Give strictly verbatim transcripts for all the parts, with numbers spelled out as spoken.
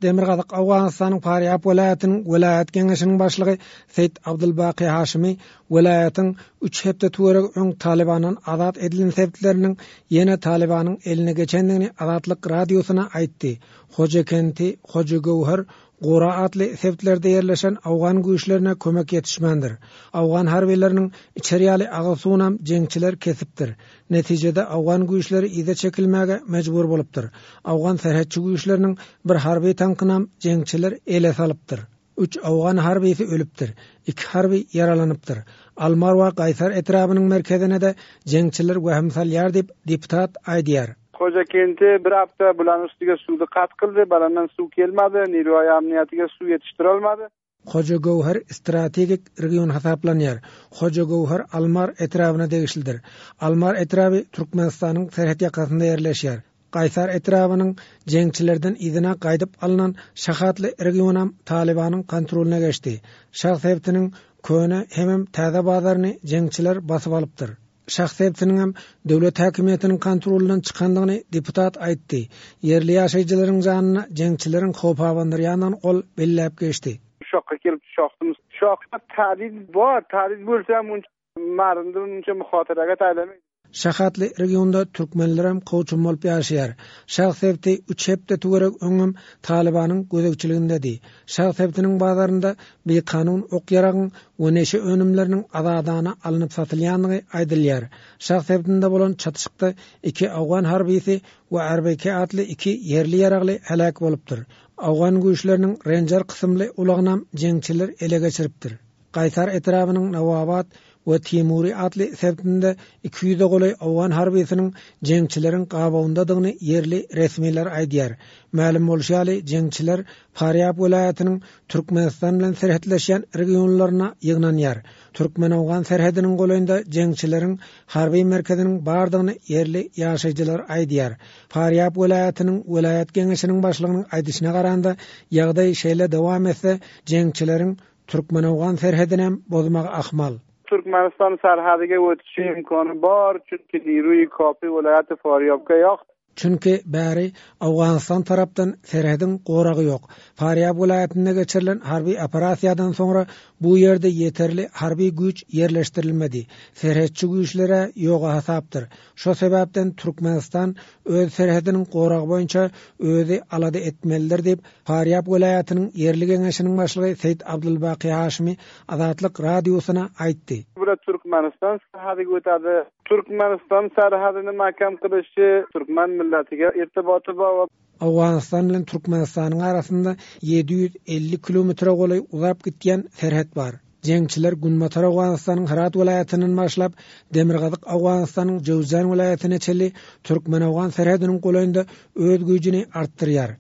Demirgazyk Owganystanyň Farýab welaýatynyň welaýat geňeşiniň başlygy Seýit Abdulbaki Haşimi welaýatyň üç hepde töweregi öň Talybandan azat edilen sebitleriniň ýene Talybanyň eline geçendigini Azatlyk Radiosyna aýtdy. Hojakenti, Hojagöwher, Gora atly sebitlerde ýerleşen owgan güýçlerine kömek ýetişmändir. Owgan harbylarynyň içer ýaly agyz suwunam jeňçiler kesipdir. Netijede owgan güýçleri yza çekilmäge mejbur bolupdyr. Owgan serhetçi güýçleriniň bir harby tankynam jeňçiler ele salypdyr. Üç owgan harbysy ölüpdir. Iki harby ýaralanypdyr. Almar we Gaýsar etrabynyň merkezine-de jeňçiler wehim salýar diýip, deputat aýdýar. Hojakenti bir hafta bularning ustiga suvni qat qildi, balandan suv kelmadi, Nilvoy amniyatiga suv yetishtirolmadi. Hojagöwher strategik region hasaplanýar. Hojagöwher Almar etrabyna degişlidir. Almar etraby Türkmenistanyň serhet ýakasynda ýerleşýär. Gaýsar etrabynyň jeňçilerden yzyna gaýdyp alnan Şahatly regionam Talybanyň kontrolyna geçdi. Şah sebitiniň köne hemem täze bazaryny jeňçiler basyp alypdyr. Şah sebitiniň hem döwlet häkimiýetiniň kontrolundan çykandygyny deputat aýtdy. Ýerli ýaşaýjylaryň janyna jeňçileriň howp abandyrýandygyny ol belläp geçdi. Şohga kelib shoximiz. Shoxda tahdid bor, tahdid bo'lsa ham uncha mardni uncha muhotiraga taylamaydi. Şahatly regionda türkmenlerem kowçum bolup ýaşaýar. Şah sebiti üç hepde töwerek öňem Talybanyň gözegçiligindedi. Şah sebitiniň bazarynda bikanun ok-ýaragyň we neşe önümleriniň azadana alnyp satylýandygy aýdylýar. Şah sebitinde bolan çatyşykda iki owgan harbysy we R B K atly iki ýerli ýaragly heläk bolupdyr. Owgan güýçleriniň Ranger kysymly ulagynam jeňçiler ele geçiripdir. Gaýsar etrabynyň Nawabat we Timuri atly sebitinde iki ýüze golaý owgan harbysynyň jeňçileriň gabawyndadygyny ýerli resmiler aýdýar. Mälim bolşy ýaly, jeňçiler Farýab welaýatynyň Türkmenistan bilen serhetleşýän regionlaryna ýygnanýar. Türkmen-owgan serhediniň golaýynda jeňçileriň harby merkeziniň bardygyny ýerli ýaşaýjylar aýdýar. Farýab welaýatynyň welaýat geňeşiniň başlygynyň aýdyşyna garanda, ýagdaý şeýle dowam etse, jeňçileriň Türkmen-owgan serhedinem bozmagy ahmal. Türkmenistan serhediga o'tishi imkoni bor, chunki Nirui Kopi viloyati Faryobga yo'q. Çünki bäri Owganystan tarapdan serhediň goragy ýok. Farýab welaýatynda geçirilen harby operasiýadan soňra bu ýerde ýeterli harby güýç ýerleşdirilmedi. Serhetçi güýçlere ýoga hasapdyr. Şo sebäpden Türkmenistan öz serhediniň goragy boýunça özi alada etmelidir diýip, Farýab welaýatynyň ýerli geňeşiniň başlygy Seýit Abdulbaki Haşimi Azatlyk Radiosyna aýtdy. Bular Türkmenistan serhediga o'tadi. Türkmenistan serhedini mahkam qilishi turkman millatiga irtiboti bor. Owganystan bilen Türkmenistanyň arasynda ýedi ýüz elli kilometre golaý uzap gitýän serhet bar. Jeňçiler Günbatar Owganystanyň Herat welaýatyndan başlap Demirgazyk Owganystanyň Jöwzjan welaýatyna çenli Türkmen-Owgan serhediniň golaýynda öz güýjüni artdyrýar.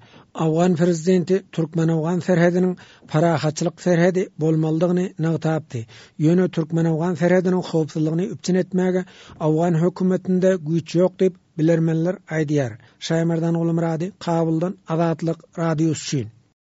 Owgan prezidenti Türkmen-Owgan serhediniň parahatçylyk serhedi bolmalydygyny nygtapdy. Ýöne Türkmen-Owgan serhediniň howpsuzlygyny üpjün etmäge Owgan hökümetinde güýç ýok diýip bilermenler aýdýar. Şaýmerdan Gulmyrady, Kabuldan Azatlyk Radiosy üçin.